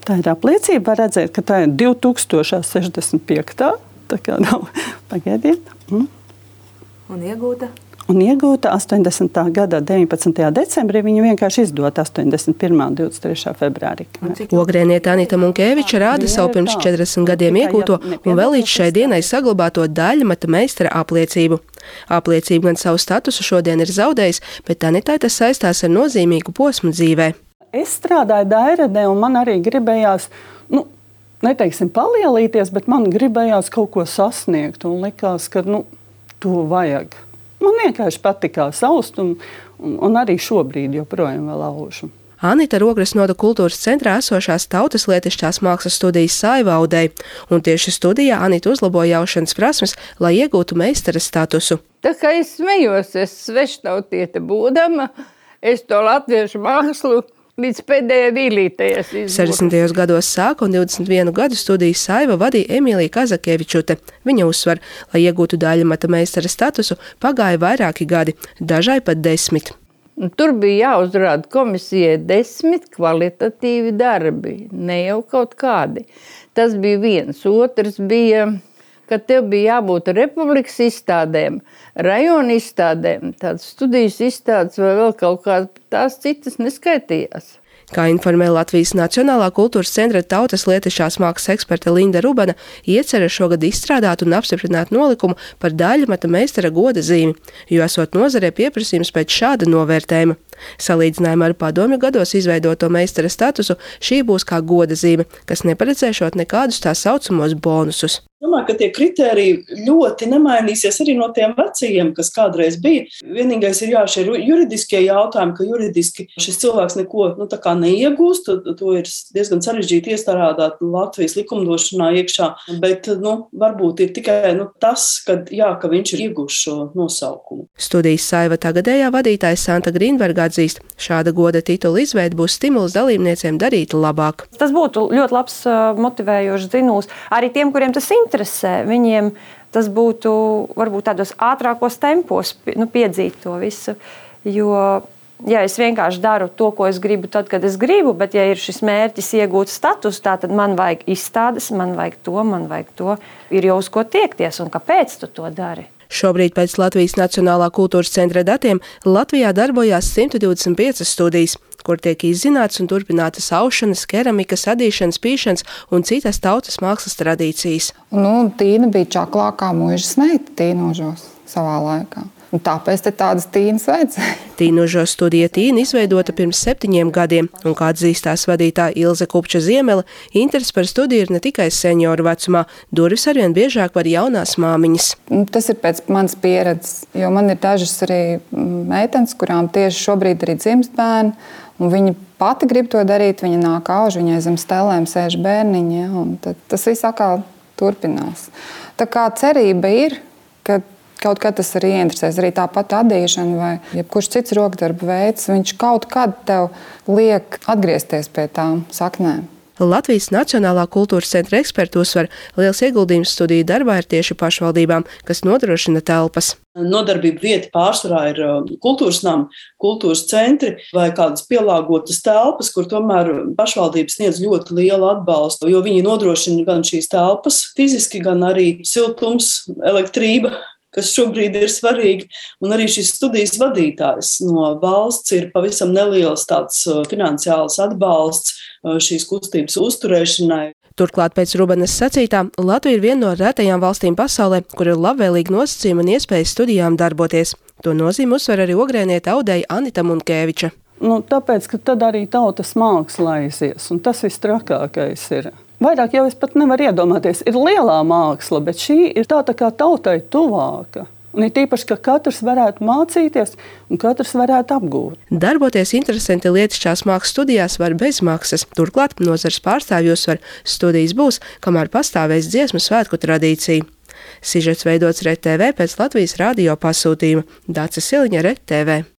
Tā ir apliecība, var redzēt, ka tā ir 2065. Tā kā nav, pagaidiet. Un iegūta? Un iegūta 80. gada 19. decembrī, viņa vienkārši izdota 81. un 23. februārī. Ogrēniete Anita Munkēviča rāda savu pirms 40 gadiem iegūto un vēl līdz šai dienai saglabāto daļmeta meistara apliecību. Apliecība gan savu statusu šodien ir zaudējis, bet Anitai tas saistās ar nozīmīgu posmu dzīvē. Es strādāju Dairedē un man arī gribējās, neteiksim palielīties, bet man gribējās kaut ko sasniegt un likās, ka to vajag. Man vienkārši patikās aust un arī šobrīd joprojām vēl aužu. Anita Rogres Noda kultūras centrā esošās Tautas lietišķās mākslas studijas Saiva audēja, un tieši studijā Anita uzlaboja aušanas prasmes, lai iegūtu meistara statusu. Tā kā es smejos, es sveštautiete būdama, es to latviešu mākslu līdz pēdējai vīlītei esmu izgūta. 60. gados sāka un 21 gadu studijas Saiva vadīja Emīlija Kazakevičute. Viņa uzsver, lai iegūtu daļmeta meistara statusu, pagāja vairāki gadi, dažai pat 10. Tur bija jāuzrāda komisijai 10 kvalitatīvi darbi, ne jau kaut kādi. Tas bija viens. Otrs bija, ka tev bija jābūt republikas izstādēm, rajona izstādēm, tādas studijas izstādes vai vēl kaut kādas, tās citas neskaitījās. Kā informē Latvijas Nacionālā kultūras centra Tautas lietišķās mākslas eksperte Linda Rubana, iecerē šogad izstrādāt un apstiprināt nolikumu par daļmeta meistara goda zīmi, jo esot nozarē pieprasījums pēc šāda novērtējuma. Salīdzinājumā ar padomju gados izveidoto meistara statusu, šī būs kā goda zīme, kas neparedzēšot nekādus tā saucamos bonusus. Domāju, ka tie kritēriji ļoti nemainīsies arī no tiem vecajiem, kas kādreiz bija. Vienīgais ir šie juridiskie jautājumi, ka juridiski šis cilvēks neko tā kā neiegūst. To ir diezgan sarežģīti iestrādāt Latvijas likumdošanā iekšā, bet varbūt ir tikai tas, ka viņš ir iegūst šo nosaukumu. Studijas Saiva tagadējā vadītājs Santa Grīnberga atzīst, šāda goda titula izveide būs stimuls dalībniecēm darīt labāk. Tas būtu ļoti labs motivējošs zinūs arī tiem, kuriem tas interesē. Viņiem tas būtu varbūt tādos ātrākos tempos piedzīt to visu, jo ja es vienkārši daru to, ko es gribu tad, kad es gribu, bet ja ir šis mērķis iegūt statusu, tad man vajag izstādes, man vajag to, ir jau uz ko tiekties un kāpēc tu to dari. Šobrīd pēc Latvijas Nacionālā kultūras centra datiem Latvijā darbojās 125 studijas, kur tiek izzināts un turpinātas aušanas, keramikas, adīšanas, pīšanas un citas tautas mākslas tradīcijas. Tīna bija čaklākā mūžas meita Tīnožos savā laikā. Un tāpēc tādas tīnas vajadzēja. Tīnožos studija Tīna izveidota pirms 7 gadiem, un kā atzīstās vadītāja Ilze Kupča Ziemele, interesi par studiju ir ne tikai senioru vecumā, durvis arvien biežāk var jaunās māmiņas. Tas ir pēc manas pieredzes, jo man ir dažas arī meitenes, kurām tieši šobrīd arī dzimst bērni, un viņa pati grib to darīt, viņa nāk auž, viņai zem stelēm sēž bērniņi, un tas viss atkal turpinās. Tā kā cerība ir, ka kaut kad tas arī ieinteresēs, arī tāpat adīšana vai jebkurš cits rokdarba veids, viņš kaut kad tev liek atgriezties pie tām saknēm. Latvijas Nacionālā kultūras centra eksperti uzsver, liels ieguldījums studiju darbā ir tieši pašvaldībām, kas nodrošina telpas. Nodarbība vieta pārsvarā ir kultūras nama, kultūras centri vai kādas pielāgotas telpas, kur tomēr pašvaldības sniedz ļoti lielu atbalstu, jo viņi nodrošina gan šīs telpas fiziski, gan arī siltums, elektrība, kas šobrīd ir svarīgi, un arī šis studijas vadītājs no valsts ir pavisam neliels tāds finansiāls atbalsts šīs kustības uzturēšanai. Turklāt pēc Rubanas sacītā, Latvija ir viena no retajām valstīm pasaulē, kur ir labvēlīgi nosacījumi un iespējas studijām darboties. To nozīmi uzsver arī ogrēniete audēja Anita Munkēviča. Tāpēc, ka tad arī tautas māksla aizies, un tas viss trakākais ir. Vairāk jau es pat nevaru iedomāties. Ir lielā māksla, bet šī ir tā kā tautai tuvāka. Un ir tīpaši, ka katrs varētu mācīties un katrs varētu apgūt. Darboties interesanti lietišķās mākslas studijās var bez maksas. Turklāt nozares pārstāvji uzsver, studijas būs, kamēr pastāvēs dziesmu svētku tradīcija. Sižets veidots RED TV pēc Latvijas radio pasūtījuma. Dāca Siliņa, RED TV.